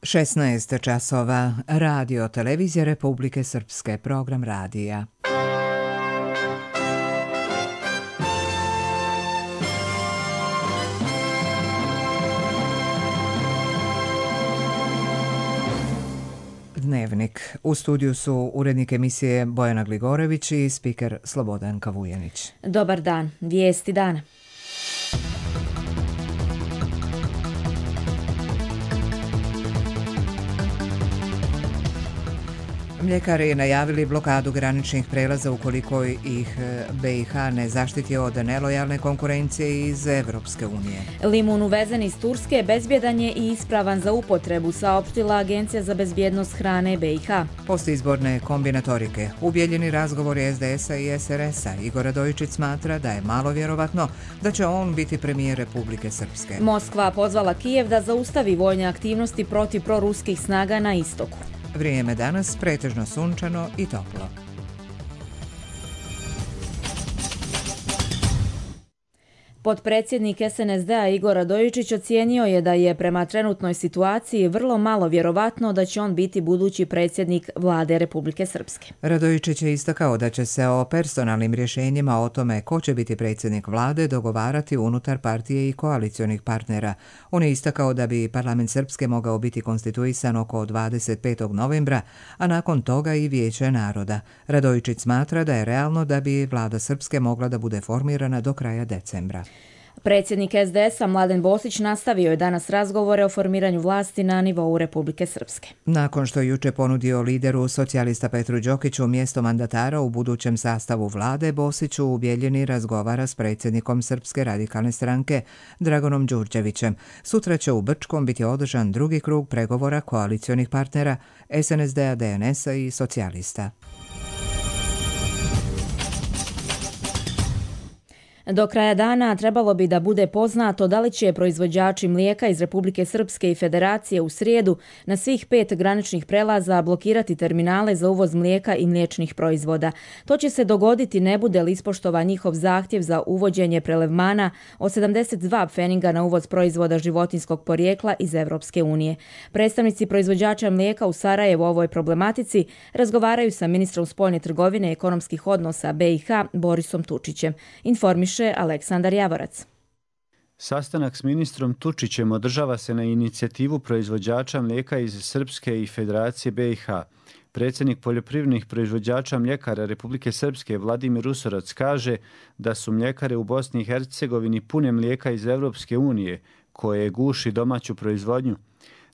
16 časova. Radio Televizija Republike Srpske. Program radija. Dnevnik. U studiju su urednik emisije Bojana Gligorević i spiker Slobodanka Vujanić. Dobar dan. Vijesti dana. Mljekari najavili blokadu graničnih prelaza ukoliko ih BiH ne zaštiti od nelojalne konkurencije iz Evropske unije. Limun uvezen iz Turske bezbjedan je i ispravan za upotrebu, saopštila Agencija za bezbjednost hrane BiH. Postizborne kombinatorike. U Bijeljini razgovori SDS-a i SRS-a. Igor Radojičić smatra da je malo vjerovatno da će on biti premijer Republike Srpske. Moskva pozvala Kijev da zaustavi vojne aktivnosti protiv proruskih snaga na istoku. Vrijeme danas pretežno sunčano i toplo. Potpredsjednik SNSD-a Igor Radojičić ocijenio je da je prema trenutnoj situaciji vrlo malo vjerovatno da će on biti budući predsjednik vlade Republike Srpske. Radojičić je istakao da će se o personalnim rješenjima o tome ko će biti predsjednik vlade dogovarati unutar partije i koalicionih partnera. On je istakao da bi parlament Srpske mogao biti konstituisan oko 25. novembra, a nakon toga i Vijeće naroda. Radojičić smatra da je realno da bi vlada Srpske mogla da bude formirana do kraja decembra. Predsjednik SDS-a Mladen Bosić nastavio je danas razgovore o formiranju vlasti na nivou Republike Srpske. Nakon što je juče ponudio lideru socijalista Petru Đokiću mjesto mandatara u budućem sastavu vlade, Bosić u Bijeljini razgovara s predsjednikom Srpske radikalne stranke Dragonom Đurđevićem. Sutra će u Brčkom biti održan drugi krug pregovora koalicionih partnera SNSD-a, DNS-a i socijalista. Do kraja dana trebalo bi da bude poznato da li će proizvođači mlijeka iz Republike Srpske i Federacije u srijedu na svih 5 graničnih prelaza blokirati terminale za uvoz mlijeka i mliječnih proizvoda. To će se dogoditi ne bude li ispoštovan njihov zahtjev za uvođenje prelevmana od 72 pfeninga na uvoz proizvoda životinjskog porijekla iz Evropske unije. Predstavnici proizvođača mlijeka u Sarajevu o ovoj problematici razgovaraju sa ministrom spoljne trgovine i ekonomskih odnosa BiH Borisom Tučićem. Informiše Aleksandar Javorac. Sastanak s ministrom Tučićem održava se na inicijativu proizvođača mlijeka iz Srpske i Federacije BiH. Predsjednik poljoprivrednih proizvođača mljekara Republike Srpske Vladimir Usorac kaže da su mljekare u Bosni i Hercegovini pune mlijeka iz Evropske unije, koje guši domaću proizvodnju.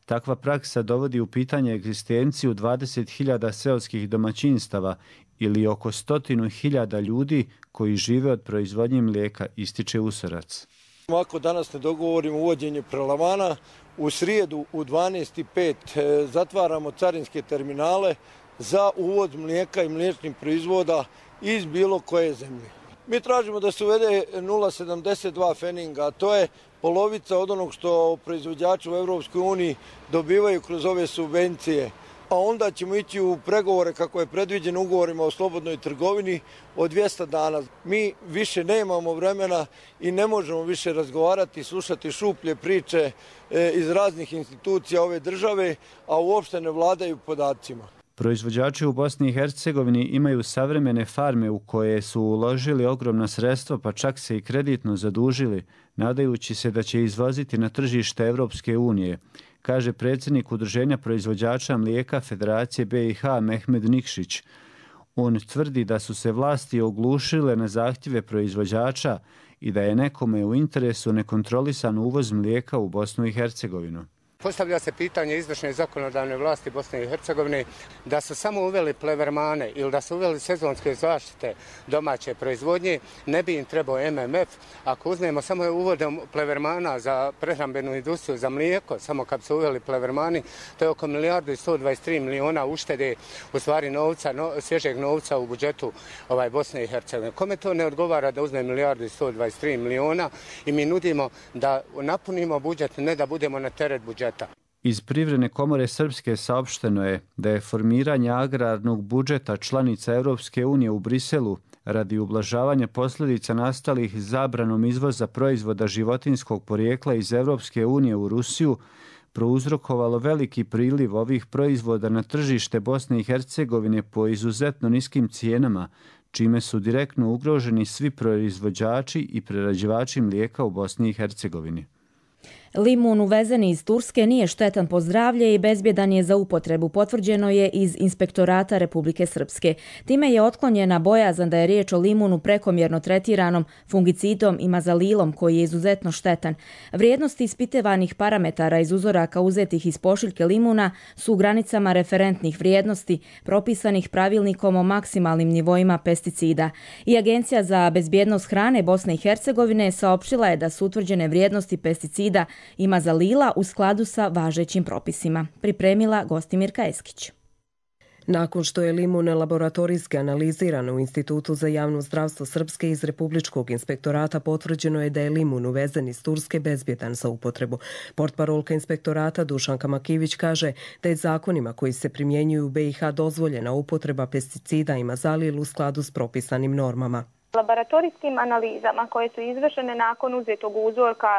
Takva praksa dovodi u pitanje egzistenciju 20.000 seoskih domaćinstava ili oko 100.000 ljudi koji žive od proizvodnje mlijeka, ističe Usorac. Ako danas ne dogovorimo uvođenje prelevmana, u srijedu u 12:05 zatvaramo carinske terminale za uvoz mlijeka i mliječnih proizvoda iz bilo koje zemlje. Mi tražimo da se uvede 0,72 pfeninga, a to je polovica od onog što proizvođači u Evropskoj uniji dobivaju kroz ove subvencije. A onda ćemo ići u pregovore kako je predviđeno ugovorima o slobodnoj trgovini od 200 dana. Mi više nemamo vremena i ne možemo više razgovarati i slušati šuplje priče iz raznih institucija ove države, a uopšte ne vladaju podacima. Proizvođači u Bosni i Hercegovini imaju savremene farme u koje su uložili ogromna sredstva, pa čak se i kreditno zadužili, nadajući se da će izvoziti na tržište Evropske unije, kaže predsjednik Udruženja proizvođača mlijeka Federacije BiH Mehmed Nikšić. On tvrdi da su se vlasti oglušile na zahtjeve proizvođača i da je nekome u interesu nekontrolisan uvoz mlijeka u Bosnu i Hercegovinu. Postavlja se pitanje izvršne i zakonodavne vlasti Bosne i Hercegovine da su samo uveli plevermane ili da su uveli sezonske zaštite domaće proizvodnje, ne bi im trebao MMF. Ako uzmemo samo uvodom plevermana za prehrambenu industriju, za mlijeko, samo kad su uveli plevermani, to je oko 1.123 milijuna uštede, u stvari novca, svježeg novca u budžetu Bosne i Hercegovine. Kome to ne odgovara da uzme 1.123 milijuna i mi nudimo da napunimo budžet, ne da budemo na teret budžeta. Iz Privredne komore Srpske saopšteno je da je formiranje agrarnog budžeta članica Evropske unije u Briselu radi ublažavanja posljedica nastalih zabranom izvoza proizvoda životinjskog porijekla iz Evropske unije u Rusiju prouzrokovalo veliki priliv ovih proizvoda na tržište Bosne i Hercegovine po izuzetno niskim cijenama, čime su direktno ugroženi svi proizvođači i prerađivači mlijeka u Bosni i Hercegovini. Limun uvezeni iz Turske nije štetan po zdravlje i bezbjedan je za upotrebu, potvrđeno je iz Inspektorata Republike Srpske. Time je otklonjena bojazan da je riječ o limunu prekomjerno tretiranom fungicidom i mazalilom koji je izuzetno štetan. Vrijednosti ispitivanih parametara iz uzoraka uzetih iz pošiljke limuna su u granicama referentnih vrijednosti propisanih pravilnikom o maksimalnim nivoima pesticida. I Agencija za bezbjednost hrane Bosne i Hercegovine saopštila je da su utvrđene vrijednosti pesticida i mazalila u skladu sa važećim propisima. Pripremila Gostimirka Eskić. Nakon što je limun laboratorijski analiziran u Institutu za javno zdravstvo Srpske iz Republičkog inspektorata, potvrđeno je da je limun uvezen iz Turske bezbjedan za upotrebu. Portparolka inspektorata Dušanka Makivić kaže da je zakonima koji se primjenjuju u BiH dozvoljena upotreba pesticida i mazalil u skladu s propisanim normama. Laboratorijskim analizama koje su izvršene nakon uzetog uzorka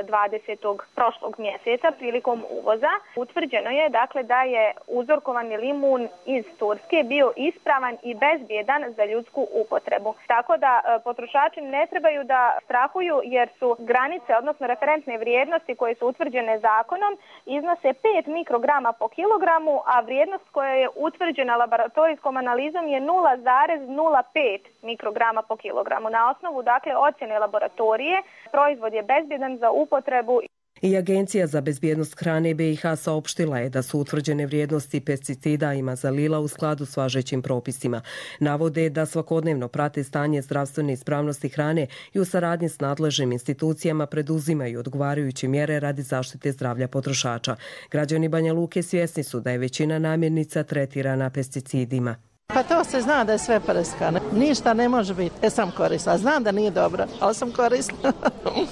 20. prošlog mjeseca prilikom uvoza, utvrđeno je dakle da je uzorkovani limun iz Turske bio ispravan i bezbjedan za ljudsku upotrebu. Tako da potrošači ne trebaju da strahuju jer su granice, odnosno referentne vrijednosti koje su utvrđene zakonom, iznose 5 mikrograma po kilogramu, a vrijednost koja je utvrđena laboratorijskom analizom je 0,05 mikrograma po kilogramu. Na osnovu ocjene laboratorije proizvod je bezbjedan za upotrebu. I Agencija za bezbjednost hrane BiH saopštila je da su utvrđene vrijednosti pesticida i mazalila u skladu s važećim propisima. Navode da svakodnevno prate stanje zdravstvene ispravnosti hrane i u saradnji s nadležnim institucijama preduzimaju odgovarajuće mjere radi zaštite zdravlja potrošača. Građani Banja Luke svjesni su da je većina namirnica tretirana pesticidima. Pa to se zna da je sve prskano. Ništa ne može biti. Ja sam koristila. Znam da nije dobro, ali sam koristila.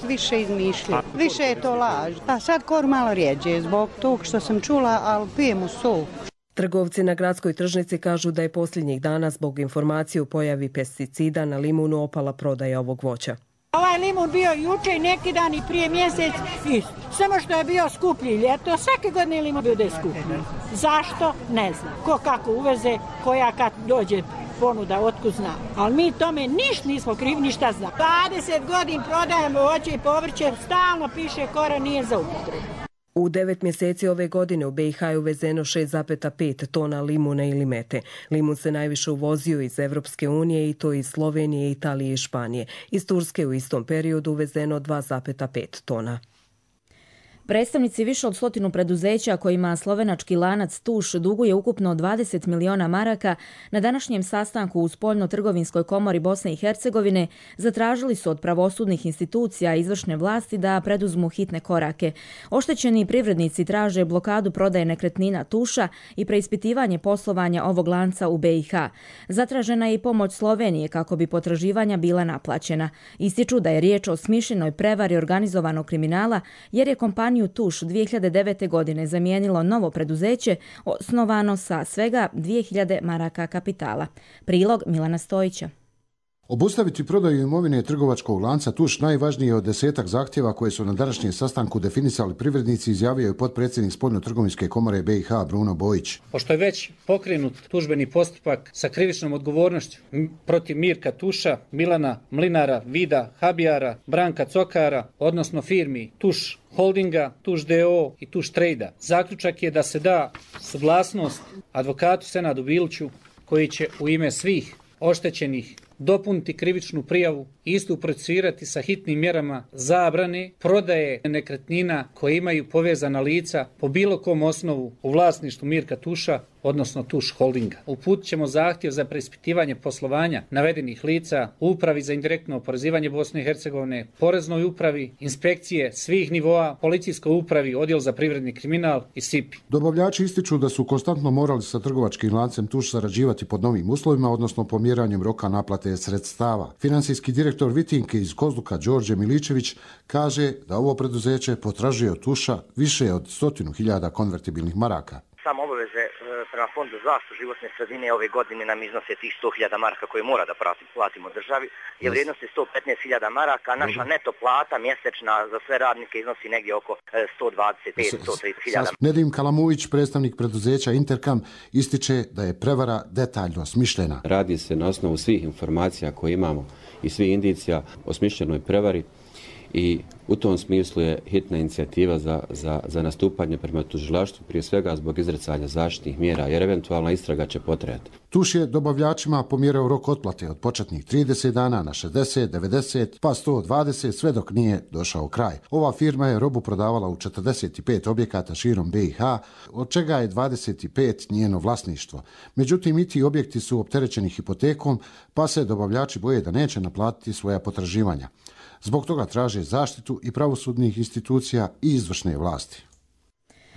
Više izmišlja. Više je to laž. A sad kor malo rijeđe zbog tog što sam čula, ali pijem u sol. Trgovci na gradskoj tržnici kažu da je posljednjih dana zbog informacije o pojavi pesticida na limunu opala prodaja ovog voća. Ovaj limun bio juče i neki dan i prije mjesec isto. Samo što je bio skuplji ljeto, svake godine limun bude skuplji. Zašto? Ne znam. Ko kako uveze, koja kad dođe ponuda, otkud zna. Ali mi tome ništa nismo krivi, ništa zna. 20 godina prodajemo voće i povrće, stalno piše kora nije za upotrebu. U 9 mjeseci ove godine u BiH je uvezeno 6,5 tona limuna ili mete. Limun se najviše uvozio iz Evropske unije i to iz Slovenije, Italije i Španije. Iz Turske u istom periodu uvezeno 2,5 tona. Predstavnici više od 100 preduzeća kojima slovenački lanac Tuš duguje ukupno 20 miliona maraka na današnjem sastanku u Spoljno-trgovinskoj komori Bosne i Hercegovine zatražili su od pravosudnih institucija i izvršne vlasti da preduzmu hitne korake. Oštećeni privrednici traže blokadu prodaje nekretnina Tuša i preispitivanje poslovanja ovog lanca u BiH. Zatražena je i pomoć Slovenije kako bi potraživanja bila naplaćena. Ističu da je riječ o smišljenoj prevari organizovanog kriminala jer je kompaniju Tuš 2009. godine zamijenilo novo preduzeće osnovano sa svega 2000 maraka kapitala. Prilog Milana Stojića. Obustaviti prodaju imovine trgovačkog lanca Tuš najvažnije je od 10 zahtjeva koje su na današnjem sastanku definisali privrednici, izjavio je potpredsjednik Spoljno-trgovinske komore BiH Bruno Bojić. Pošto je već pokrenut tužbeni postupak sa krivičnom odgovornošću protiv Mirka Tuša, Milana Mlinara, Vida Habijara, Branka Cokara, odnosno firmi Tuš Holdinga, Tuš DO i Tuš Trejda. Zaključak je da se da suglasnost advokatu Senadu Biliću koji će u ime svih oštećenih dopuniti krivičnu prijavu i istu procesirati sa hitnim mjerama zabrane prodaje nekretnina koje imaju povezana lica po bilo kom osnovu u vlasništvu Mirka Tuša, odnosno Tuš Holdinga. Uputit ćemo zahtjev za preispitivanje poslovanja navedenih lica u Upravi za indirektno oporezivanje Bosne i Hercegovine, Poreznoj upravi, inspekcije svih nivoa, Policijskoj upravi, Odjel za privredni kriminal i SIPI. Dobavljači ističu da su konstantno morali sa trgovačkim lancem Tuš sarađivati pod novim uslovima, odnosno pomjeranjem roka naplate sredstava. Finansijski direktor Vitinke iz Kozluka Đorđe Miličević kaže da ovo preduzeće potražuje od Tuša više od 100.000 konvertibilnih maraka. Samo obaveze prema Fondu za zaštitu životne sredine ove godine nam iznose tih 100.000 maraka koje mora da platimo državi. Je vrijednost je 115.000 maraka, a naša neto plata mjesečna za sve radnike iznosi negdje oko 125-130.000. Nedim Kalamuvić, predstavnik preduzeća Intercam, ističe da je prevara detaljno smišljena. Radi se na osnovu svih informacija koje imamo i svih indicija o smišljenoj prevari i u tom smislu je hitna inicijativa za nastupanje prema tužilaštvu, prije svega zbog izricanja zaštitnih mjera, jer eventualna istraga će potrajati. Tuš je dobavljačima pomjerao rok otplate od početnih 30 dana na 60, 90, pa 120, sve dok nije došao kraj. Ova firma je robu prodavala u 45 objekata širom BiH, od čega je 25 njeno vlasništvo. Međutim, i ti objekti su opterećeni hipotekom, pa se dobavljači boje da neće naplatiti svoja potraživanja. Zbog toga traže zaštitu i pravosudnih institucija i izvršne vlasti.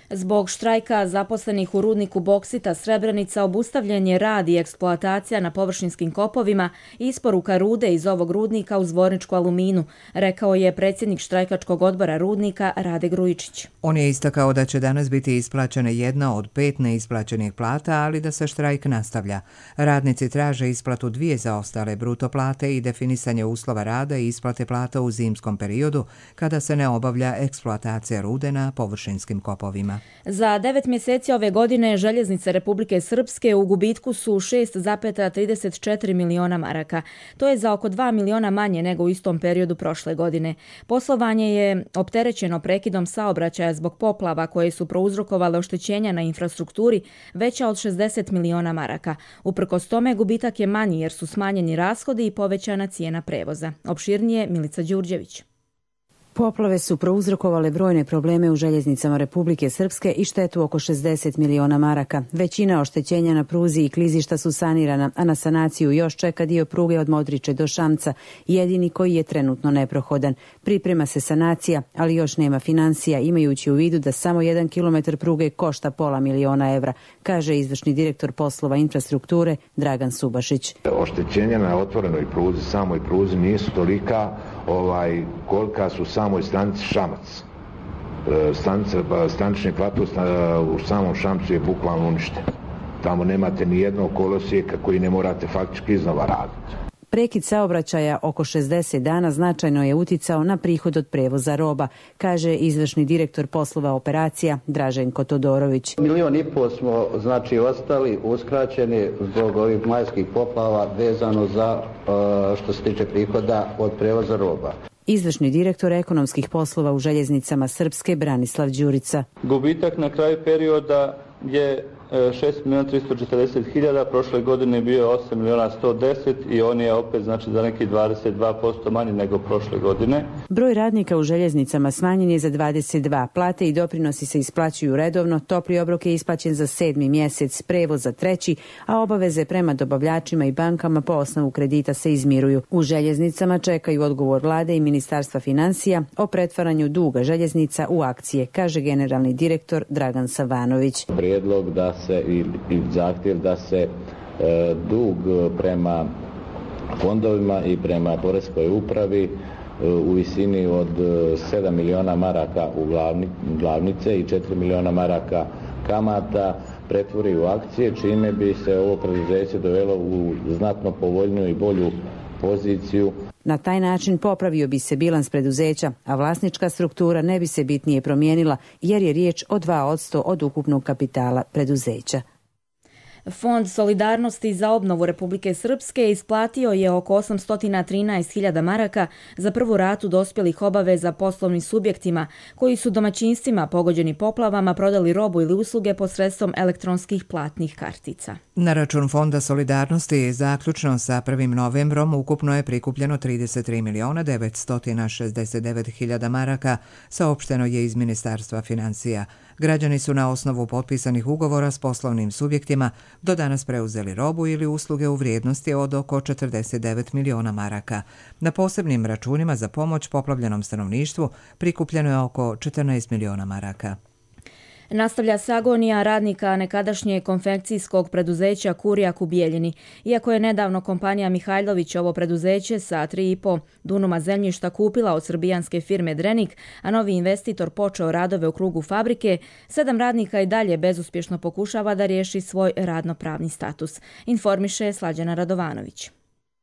Zbog štrajka zaposlenih u rudniku boksita Srebrenica obustavljen je rad i eksploatacija na površinskim kopovima i isporuka rude iz ovog rudnika u Zvorničku aluminu, rekao je predsjednik štrajkačkog odbora rudnika Rade Grujičić. On je istakao da će danas biti isplaćena jedna od 5 neisplaćenih plata, ali da se štrajk nastavlja. Radnici traže isplatu 2 zaostale bruto plate i definisanje uslova rada i isplate plata u zimskom periodu kada se ne obavlja eksploatacija rude na površinskim kopovima. Za 9 mjeseci ove godine željeznice Republike Srpske u gubitku su 6,34 miliona maraka. To je za oko 2 miliona manje nego u istom periodu prošle godine. Poslovanje je opterećeno prekidom saobraćaja zbog poplava koje su prouzrokovale oštećenja na infrastrukturi veća od 60 miliona maraka. Uprkos tome gubitak je manji jer su smanjeni rashodi i povećana cijena prevoza. Opširnije Milica Đurđević. Poplave su prouzrokovale brojne probleme u željeznicama Republike Srpske i štetu oko 60 miliona maraka. Većina oštećenja na pruzi i klizišta su sanirana, a na sanaciju još čeka dio pruge od Modriče do Šamca, jedini koji je trenutno neprohodan. Priprema se sanacija, ali još nema financija, imajući u vidu da samo 1 kilometar pruge košta £500 miliona, kaže izvršni direktor poslova infrastrukture Dragan Subašić. Oštećenja na otvorenoj pruzi, samoj pruzi nisu tolika kolika su u samoj stanici Šamac. Stanični plato u samom Šamcu je bukvalno uništen. Tamo nemate ni jednog kolosijeka koji ne morate faktički iznova raditi. Prekid saobraćaja oko 60 dana značajno je uticao na prihod od prevoza roba, kaže izvršni direktor poslova operacija Draženko Todorović. 1,5 miliona smo ostali uskraćeni zbog ovih majskih poplava vezano za što se tiče prihoda od prevoza roba. Izvršni direktor ekonomskih poslova u željeznicama Srpske Branislav Đurica. Gubitak na kraju perioda je 6.340.000, prošle godine bio 8.110.000 i on je opet za neki 22% manji nego prošle godine. Broj radnika u željeznicama smanjen je za 22, plate i doprinosi se isplaćuju redovno, topli obrok je isplaćen za 7. mjesec, prevoz za 3., a obaveze prema dobavljačima i bankama po osnovu kredita se izmiruju. U željeznicama čekaju odgovor vlade i Ministarstva financija o pretvaranju duga željeznica u akcije, kaže generalni direktor Dragan Savanović. Prijedlog da se i zahtjev da se dug prema fondovima i prema poreskoj upravi u visini od 7 miliona maraka u glavnice i 4 miliona maraka kamata pretvori u akcije, čime bi se ovo preduzeće dovelo u znatno povoljniju i bolju poziciju. Na taj način popravio bi se bilans preduzeća, a vlasnička struktura ne bi se bitnije promijenila jer je riječ o 2% od ukupnog kapitala preduzeća. Fond solidarnosti za obnovu Republike Srpske isplatio je oko 813.000 maraka za prvu ratu dospjelih obaveza poslovnim subjektima koji su domaćinstvima pogođeni poplavama prodali robu ili usluge posredstvom elektronskih platnih kartica. Na račun Fonda solidarnosti zaključno sa 1. novembrom ukupno je prikupljeno 33.969.000 maraka, saopšteno je iz Ministarstva financija. Građani su na osnovu potpisanih ugovora s poslovnim subjektima do danas preuzeli robu ili usluge u vrijednosti od oko 49 miliona maraka. Na posebnim računima za pomoć poplavljenom stanovništvu prikupljeno je oko 14 miliona maraka. Nastavlja se agonija radnika nekadašnje konfekcijskog preduzeća Kurijak u Bijeljini. Iako je nedavno kompanija Mihajlović ovo preduzeće sa 3,5 dunuma zemljišta kupila od srbijanske firme Drenik, a novi investitor počeo radove u krugu fabrike, 7 radnika i dalje bezuspješno pokušava da riješi svoj radnopravni status. Informiše Slađana Radovanović.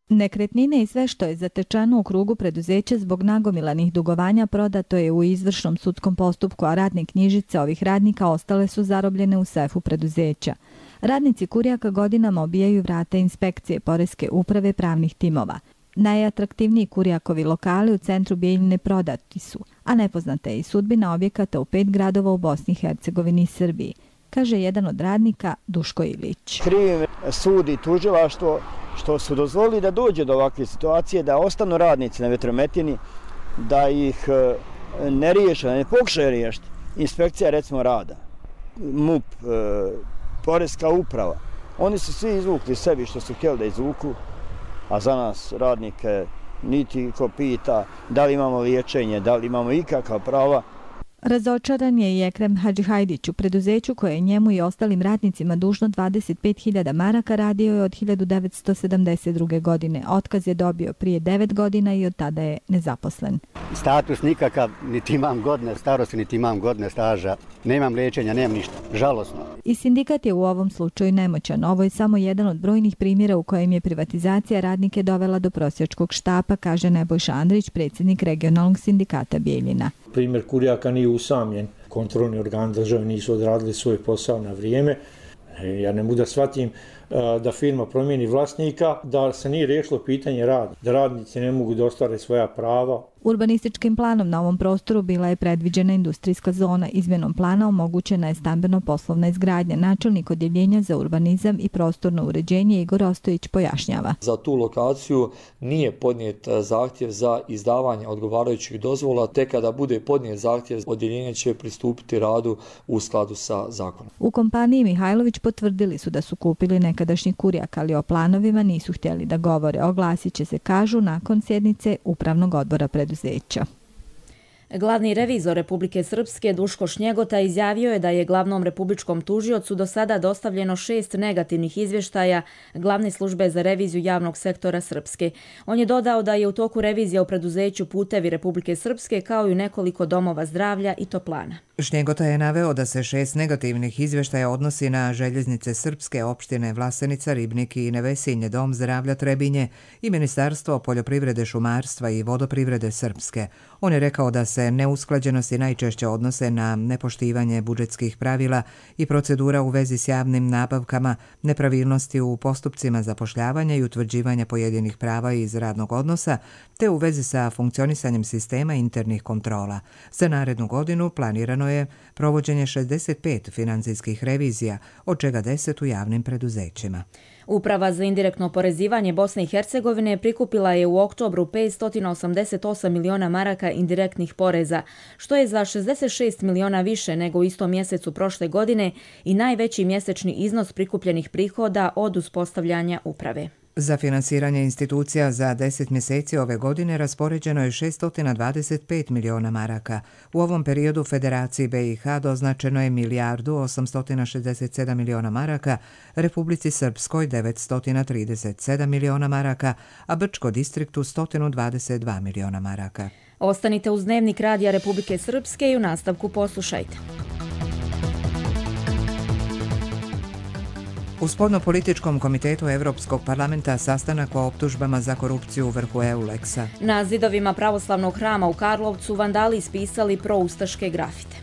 Nekretnine i sve što je zatečeno u krugu preduzeća zbog nagomilanih dugovanja prodato je u izvršnom sudskom postupku, a radne knjižice ovih radnika ostale su zarobljene u sefu preduzeća. Radnici Kurijaka godinama obijaju vrata inspekcije, poreske uprave, pravnih timova. Najatraktivniji Kurijakovi lokali u centru Bijeljine prodati su, a nepoznata je i sudbina objekata u 5 gradova u Bosni i Hercegovini i Srbiji, kaže jedan od radnika Duško Ilić. Krivim sud i tužilaštvo što su dozvolili da dođe do ovakve situacije, da ostanu radnici na vetrometini, da ih ne riješe, da ne pokušaju riješiti. Inspekcija recimo rada, MUP, poreska uprava. Oni su svi izvukli sebi što su htjeli da izvuku, a za nas radnike niti ko pita da li imamo liječenje, da li imamo ikakva prava. Razočaran je i Ekrem Hadžihajdić. U preduzeću koje je njemu i ostalim radnicima dužno 25.000 maraka radio je od 1972. godine. Otkaz je dobio prije 9 godina i od tada je nezaposlen. Status nikakav, niti imam godine starosti, niti imam godine staža. Nemam liječenja, nemam ništa. Žalosno. I sindikat je u ovom slučaju nemoćan. Ovo je samo jedan od brojnih primjera u kojem je privatizacija radnike dovela do prosjačkog štapa, kaže Nebojša Andrić, predsjednik regionalnog sindikata Bijeljina. Primjer Kurijaka nije usamljen. Kontrolni organi države nisu odradili svoj posao na vrijeme. Ja ne mogu da shvatim da firma promijeni vlasnika, da se nije riješilo pitanje rada, da radnici ne mogu da ostvare svoja prava. Urbanističkim planom na ovom prostoru bila je predviđena industrijska zona. Izmjenom plana omogućena je stambeno-poslovna izgradnja. Načelnik odjeljenja za urbanizam i prostorno uređenje Igor Ostojić pojašnjava. Za tu lokaciju nije podnijet zahtjev za izdavanje odgovarajućih dozvola, te kada bude podnijet zahtjev, odjeljenje će pristupiti radu u skladu sa zakonom. U kompaniji Mihajlović potvrdili su da su kupili nekadašnji Kurijak, ali o planovima nisu htjeli da govore. Oglasit će se, kažu, nakon sjednice upravnog odbora preduzeća. Glavni revizor Republike Srpske Duško Šnjegota izjavio je da je glavnom republičkom tužiocu do sada dostavljeno 6 negativnih izvještaja Glavne službe za reviziju javnog sektora Srpske. On je dodao da je u toku revizija u preduzeću Putevi Republike Srpske kao i nekoliko domova zdravlja i toplana. Šnjegota je naveo da se 6 negativnih izvještaja odnosi na željeznice Srpske, opštine Vlasenica, Ribnik i Nevesinje, Dom zdravlja Trebinje i Ministarstvo poljoprivrede, šumarstva i vodoprivrede Srpske. On je rekao da se neusklađenosti najčešće odnose na nepoštivanje budžetskih pravila i procedura u vezi s javnim nabavkama, nepravilnosti u postupcima zapošljavanja i utvrđivanja pojedinih prava iz radnog odnosa, te u vezi sa funkcionisanjem sistema internih kontrola. Za narednu godinu planirano je provođenje 65 financijskih revizija, od čega 10 u javnim preduzećima. Uprava za indirektno oporezivanje Bosne i Hercegovine prikupila je u oktobru 588 miliona maraka indirektnih poreza, što je za 66 miliona više nego u istom mjesecu prošle godine i najveći mjesečni iznos prikupljenih prihoda od uspostavljanja uprave. Za finansiranje institucija za 10 mjeseci ove godine raspoređeno je 625 miliona maraka. U ovom periodu Federaciji BiH doznačeno je 1.867 miliona maraka, Republici Srpskoj 937 miliona maraka, a Brčko distriktu 122 miliona maraka. Ostanite uz Dnevnik Radija Republike Srpske i u nastavku poslušajte. U Spoljnopolitičkom komitetu Evropskog parlamenta sastanak o optužbama za korupciju u vrhu EULEX-a. Na zidovima pravoslavnog hrama u Karlovcu vandali ispisali proustaške grafite.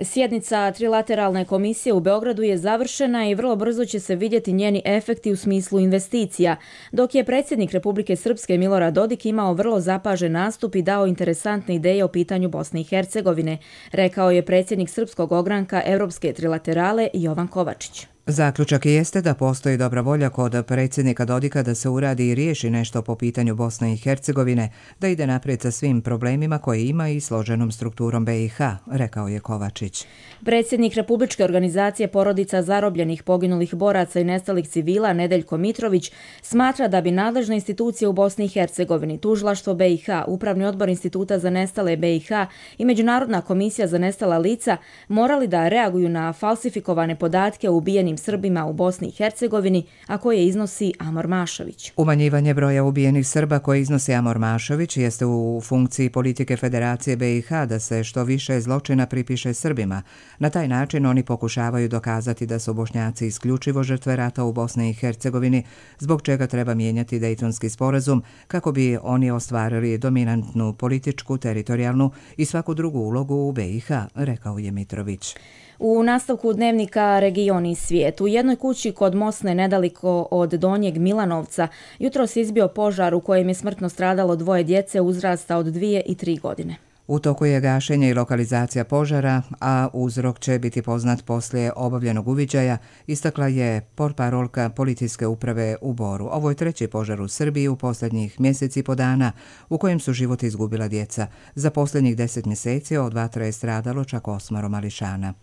Sjednica trilateralne komisije u Beogradu je završena i vrlo brzo će se vidjeti njeni efekti u smislu investicija, dok je predsjednik Republike Srpske Milorad Dodik imao vrlo zapažen nastup i dao interesantne ideje o pitanju Bosne i Hercegovine, rekao je predsjednik Srpskog ogranka Evropske trilaterale Jovan Kovačić. Zaključak jeste da postoji dobra volja kod predsjednika Dodika da se uradi i riješi nešto po pitanju Bosne i Hercegovine, da ide naprijed sa svim problemima koje ima i složenom strukturom BiH, rekao je Kovačić. Predsjednik Republičke organizacije porodica zarobljenih, poginulih boraca i nestalih civila Nedeljko Mitrović smatra da bi nadležne institucije u Bosni i Hercegovini, Tužilaštvo BiH, Upravni odbor Instituta za nestale BiH i Međunarodna komisija za nestala lica morali da reaguju na falsifikovane podatke o ubijenim Srbima u Bosni i Hercegovini, a koje iznosi Amor Mašović. Umanjivanje broja ubijenih Srba koje iznosi Amor Mašović jeste u funkciji politike Federacije BiH da se što više zločina pripiše Srbima. Na taj način oni pokušavaju dokazati da su Bošnjaci isključivo žrtve rata u Bosni i Hercegovini, zbog čega treba mijenjati Dejtonski sporazum kako bi oni ostvarili dominantnu političku, teritorijalnu i svaku drugu ulogu u BiH, rekao je Mitrović. U nastavku dnevnika Region i svijet, u jednoj kući kod Mosne nedaleko od Donjeg Milanovca jutros izbio požar u kojem je smrtno stradalo 2 djece uzrasta od 2 i 3 godine. U toku je gašenje i lokalizacija požara, a uzrok će biti poznat poslije obavljenog uviđaja, istakla je portparolka policijske uprave u Boru. Ovo je 3. požar u Srbiji u posljednjih mjeseci i po dana u kojem su život izgubila djeca. Za posljednjih 10 mjeseci od vatra je stradalo čak 8 mališana.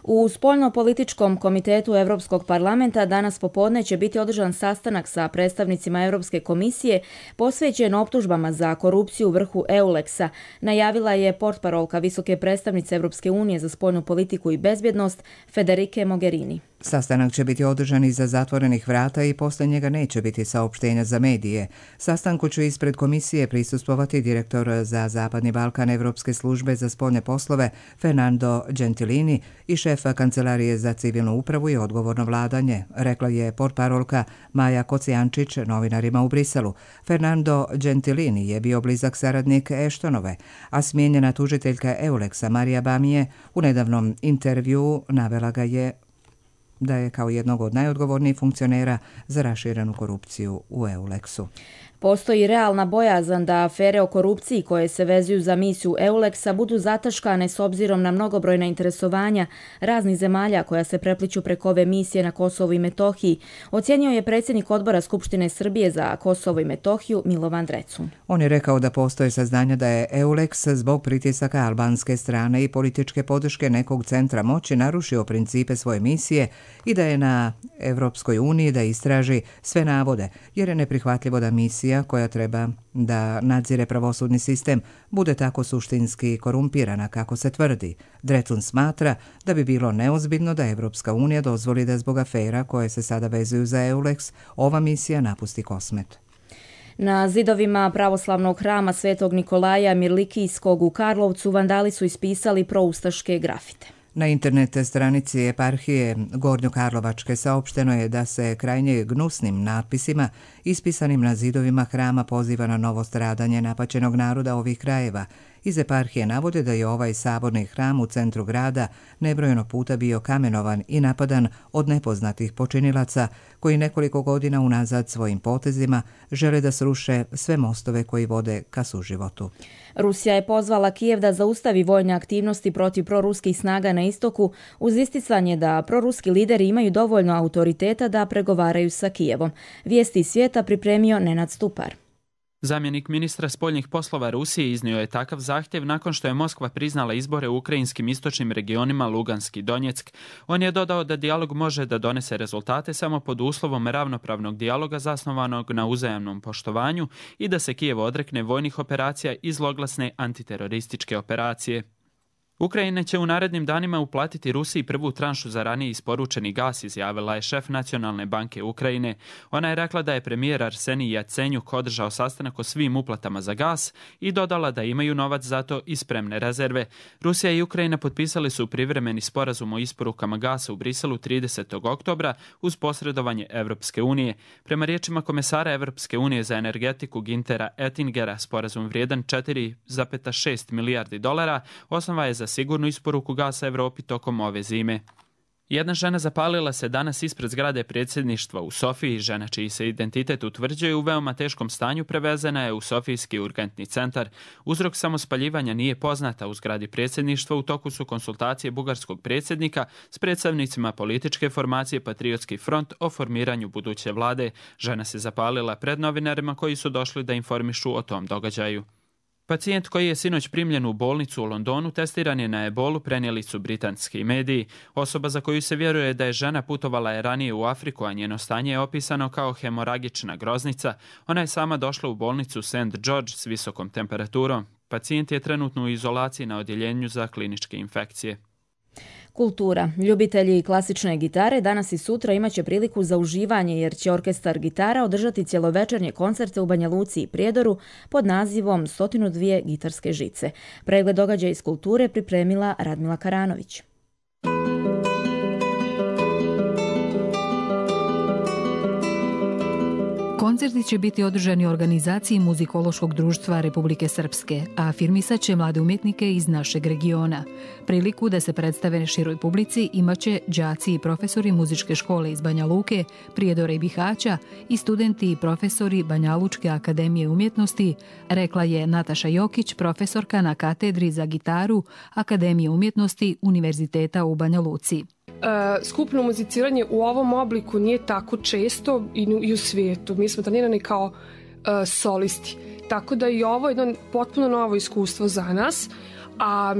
U Spoljno-političkom komitetu Europskog parlamenta danas popodne će biti održan sastanak sa predstavnicima Europske komisije posvećen optužbama za korupciju u vrhu EULEX-a, najavila je portparolka visoke predstavnice Europske unije za spoljnu politiku i bezbjednost Federike Mogherini. Sastanak će biti održan iza zatvorenih vrata i poslije njega neće biti saopštenja za medije. Sastanku će ispred komisije prisustvovati direktor za Zapadni Balkan Evropske službe za spoljne poslove Fernando Gentilini i šefa Kancelarije za civilnu upravu i odgovorno vladanje, rekla je portparolka Maja Kocijančić novinarima u Briselu. Fernando Gentilini je bio blizak saradnik Eštonove, a smijenjena tužiteljka EULEX-a Marija Bamije u nedavnom intervjuu navela ga je da je kao jednog od najodgovornijih funkcionera za raširenu korupciju u EULEX-u. Postoji realna bojazan da afere o korupciji koje se vezuju za misiju EULEX-a budu zataškane s obzirom na mnogobrojna interesovanja raznih zemalja koja se prepliću preko ove misije na Kosovu i Metohiji, ocijenio je predsjednik odbora Skupštine Srbije za Kosovo i Metohiju Milovan Drecun. On je rekao da postoje saznanja da je EULEX zbog pritisaka albanske strane i političke podrške nekog centra moći narušio principe svoje misije i da je na Evropskoj uniji da istraži sve navode, jer je neprihvatljivo da misija koja treba da nadzire pravosudni sistem bude tako suštinski korumpirana kako se tvrdi. Drecun smatra da bi bilo neozbiljno da Evropska unija dozvoli da zbog afera koje se sada vezuju za EULEX ova misija napusti Kosmet. Na zidovima pravoslavnog hrama Svetog Nikolaja Mirlikijskog u Karlovcu vandali su ispisali proustaške grafite. Na internet stranici eparhije Gornjokarlovačke saopšteno je da se krajnje gnusnim natpisima ispisanim na zidovima hrama poziva na novo stradanje napaćenog naroda ovih krajeva. Iz eparhije navode da je ovaj saborni hram u centru grada nebrojeno puta bio kamenovan i napadan od nepoznatih počinilaca koji nekoliko godina unazad svojim potezima žele da sruše sve mostove koji vode ka suživotu. Rusija je pozvala Kijev da zaustavi vojne aktivnosti protiv proruskih snaga na istoku uz isticanje da proruski lideri imaju dovoljno autoriteta da pregovaraju sa Kijevom. Vijesti iz svijeta pripremio Nenad Stupar. Zamjenik ministra spoljnih poslova Rusije iznio je takav zahtjev nakon što je Moskva priznala izbore u ukrajinskim istočnim regionima Lugansk i Donjeck. On je dodao da dijalog može da donese rezultate samo pod uslovom ravnopravnog dijaloga zasnovanog na uzajamnom poštovanju i da se Kijev odrekne vojnih operacija i zloglasne antiterorističke operacije. Ukrajina će u narednim danima uplatiti Rusiji prvu tranšu za ranije isporučeni gas, izjavila je šef Nacionalne banke Ukrajine. Ona je rekla da je premijer Arsenij Jacenjuk održao sastanak o svim uplatama za gas i dodala da imaju novac za to i spremne rezerve. Rusija i Ukrajina potpisali su privremeni sporazum o isporukama gasa u Briselu 30. oktobra uz posredovanje Evropske unije. Prema riječima komesara Evropske unije za energetiku Güntera Oettingera, sporazum vrijedan 4,6 milijardi dolara osnova je za sigurnu isporuku gasa Evropi tokom ove zime. Jedna žena zapalila se danas ispred zgrade predsjedništva u Sofiji. Žena čiji se identitet utvrđuje u veoma teškom stanju prevezena je u Sofijski urgentni centar. Uzrok samospaljivanja nije poznata. U zgradi predsjedništva u toku su konsultacije bugarskog predsjednika s predstavnicima političke formacije Patriotski front o formiranju buduće vlade. Žena se zapalila pred novinarima koji su došli da informišu o tom događaju. Pacijent koji je sinoć primljen u bolnicu u Londonu testiran je na ebolu, prenijeli su britanski mediji. Osoba za koju se vjeruje da je žena putovala je ranije u Afriku, a njeno stanje je opisano kao hemoragična groznica. Ona je sama došla u bolnicu St. George s visokom temperaturom. Pacijent je trenutno u izolaciji na odjeljenju za kliničke infekcije. Kultura. Ljubitelji klasične gitare danas i sutra imaće priliku za uživanje jer će orkestar gitara održati cjelovečernje koncerte u Banja Luci i Prijedoru pod nazivom 102 gitarske žice. Pregled događaja iz kulture pripremila Radmila Karanović. Koncerti će biti održani u organizaciji Muzikološkog društva Republike Srpske, a afirmisat će mlade umjetnike iz našeg regiona. Priliku da se predstave široj publici imaće đaci i profesori muzičke škole iz Banja Luke, Prijedora i Bihaća i studenti i profesori Banja Lučke akademije umjetnosti, rekla je Nataša Jokić, profesorka na katedri za gitaru Akademije umjetnosti Univerziteta u Banja Luci. Skupno muziciranje u ovom obliku nije tako često i u svijetu. Mi smo trenirani kao solisti. Tako da i ovo je jedno potpuno novo iskustvo za nas. A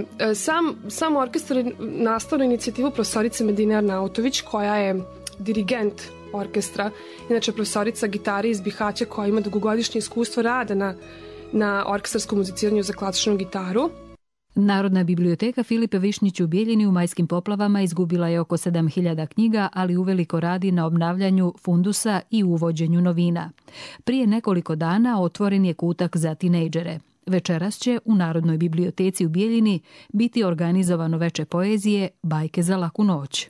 sam orkestar je nastao na inicijativu profesorice Medine Arnautović, koja je dirigent orkestra. Inače, profesorica gitare iz Bihaća koja ima dugogodišnje iskustvo rada na orkestarskom muziciranju za klasičnu gitaru. Narodna biblioteka Filipe Višnjić u Bijeljini u majskim poplavama izgubila je oko 7000 knjiga, ali uveliko radi na obnavljanju fundusa i uvođenju novina. Prije nekoliko dana otvoren je kutak za tinejdžere. Večeras će u Narodnoj biblioteci u Bijeljini biti organizovano veče poezije Bajke za laku noć.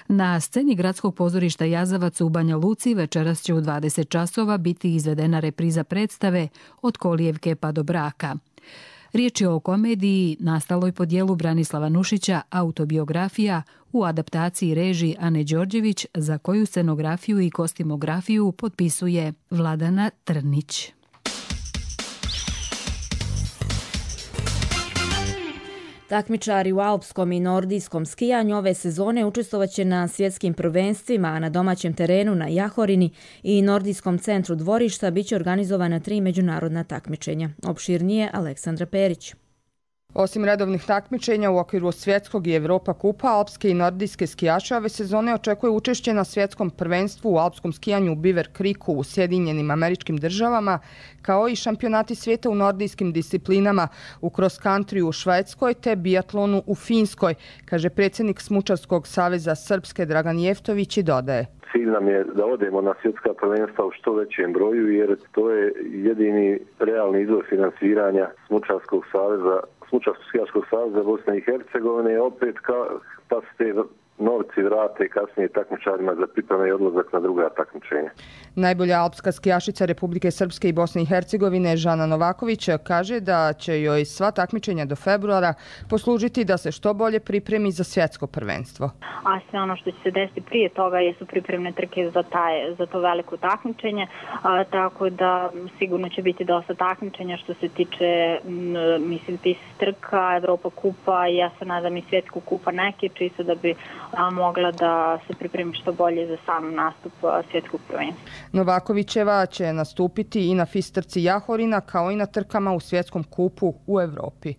Na sceni Gradskog pozorišta Jazavac u Banja Luci večeras će u 20 časova biti izvedena repriza predstave Od kolijevke pa do braka. Riječ je o komediji nastaloj po dijelu Branislava Nušića Autobiografija u adaptaciji režiji Ane Đorđević, za koju scenografiju i kostimografiju potpisuje Vladana Trnić. Takmičari u alpskom i nordijskom skijanju ove sezone učestvovaće na svjetskim prvenstvima, a na domaćem terenu na Jahorini i nordijskom centru dvorišta biće organizovana 3 međunarodna takmičenja. Opširnije Aleksandra Perić. Osim redovnih takmičenja u okviru svjetskog i Evropa kupa, alpske i nordijske skijaše ove sezone očekuje učešće na svjetskom prvenstvu u alpskom skijanju u Beaver Creeku u Sjedinjenim Američkim Državama, kao i šampionati svijeta u nordijskim disciplinama u cross country u Švedskoj te biatlonu u Finskoj, kaže predsjednik Smučarskog saveza Srpske Dragan Jeftović i dodaje. Cilj nam je da odemo na svjetska prvenstva u što većem broju, jer to je jedini realni izvor finansiranja Smučarskog saveza, Smučarsko-skijaškog saveza Bosne i Hercegovine, opet pa se te novci vrate kasnije takmičarima za pripreme i odlazak na druga takmičenja. Najbolja alpska skijašica Republike Srpske i Bosne i Hercegovine Žana Novaković kaže da će joj sva takmičenja do februara poslužiti da se što bolje pripremi za svjetsko prvenstvo. A sve ono što će se desiti prije toga jesu pripremne trke za to veliko takmičenje, tako da sigurno će biti dosta takmičenja što se tiče PIS trka, Evropa kupa i ja se nadam i svjetskog kupa neke, čisto da bi mogla da se pripremi što bolje za sam nastup svjetskog prvenstva. Novakovićeva će nastupiti i na FIS trci Jahorina kao i na trkama u svjetskom kupu u Evropi.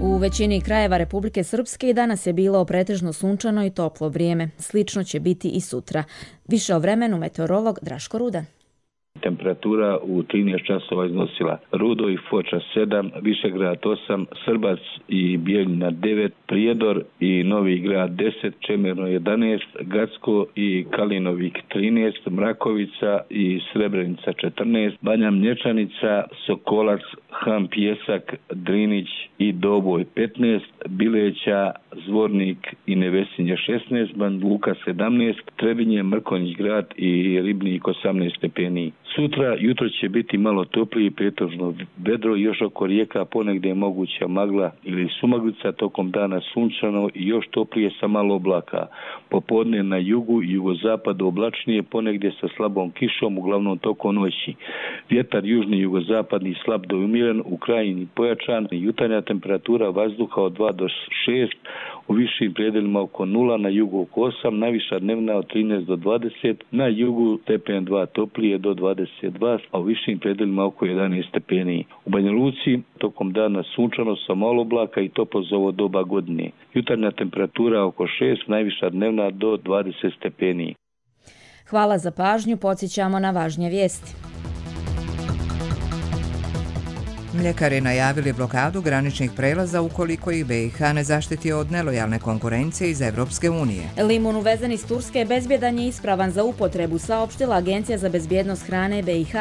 U većini krajeva Republike Srpske i danas je bilo pretežno sunčano i toplo vrijeme. Slično će biti i sutra. Više o vremenu meteorolog Draško Rudan. Temperatura u 13 časova iznosila Rudo i Foča 7, Višegrad 8, Srbac i Bijeljina 9, Prijedor i Novi Grad 10, Čemerno 11, Gacko i Kalinovik 13, Mrakovica i Srebrenica 14, Banja Mlječanica, Sokolac, Ham Pjesak, Drinić i Doboj 15, Bileća, Zvornik i Nevesinje 16, Banja Luka 17, Trebinje, Mrkonjić grad i Ribnik 18 stepeni. Sutra jutro će biti malo toplije i pretežno vedro, još oko rijeka ponegdje je moguća magla ili sumaglica, tokom dana sunčano i još toplije sa malo oblaka. Popodne na jugu i jugozapadu oblačnije, ponegdje sa slabom kišom, uglavnom tokom noći. Vjetar južni jugozapadni slab do umiren, u krajini pojačan, jutarnja temperatura vazduha od 2 do 6, u višim predelima oko 0, na jugu oko 8, najviša dnevna od 13 do 20, na jugu stepen 2 toplije do 22, a u višim predelima oko 11 stepeni. U Banja Luci tokom dana sunčano sa malo oblaka i toplo za ovo doba godine. Jutarnja temperatura oko 6, najviša dnevna do 20 stepeni. Hvala za pažnju, podsjećamo na važnije vijesti. Mljekari najavili blokadu graničnih prelaza ukoliko ih BiH ne zaštiti od nelojalne konkurencije iz Evropske unije. Limun uvezen iz Turske bezbjedan je ispravan za upotrebu, saopštila Agencija za bezbjednost hrane BiH.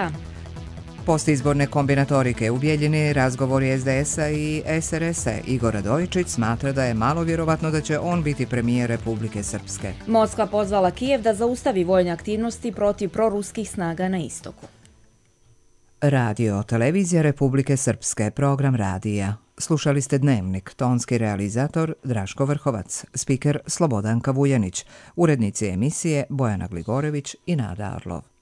Postizborne kombinatorike u Bijeljini, razgovori SDS-a i SRS-a. Igor Radojičić smatra da je malo vjerovatno da će on biti premijer Republike Srpske. Moskva pozvala Kijev da zaustavi vojne aktivnosti protiv proruskih snaga na istoku. Radio Televizija Republike Srpske, program radija. Slušali ste Dnevnik, tonski realizator Draško Vrhovac, spiker Slobodanka Vujanić, urednici emisije Bojana Gligorević i Nada Arlov.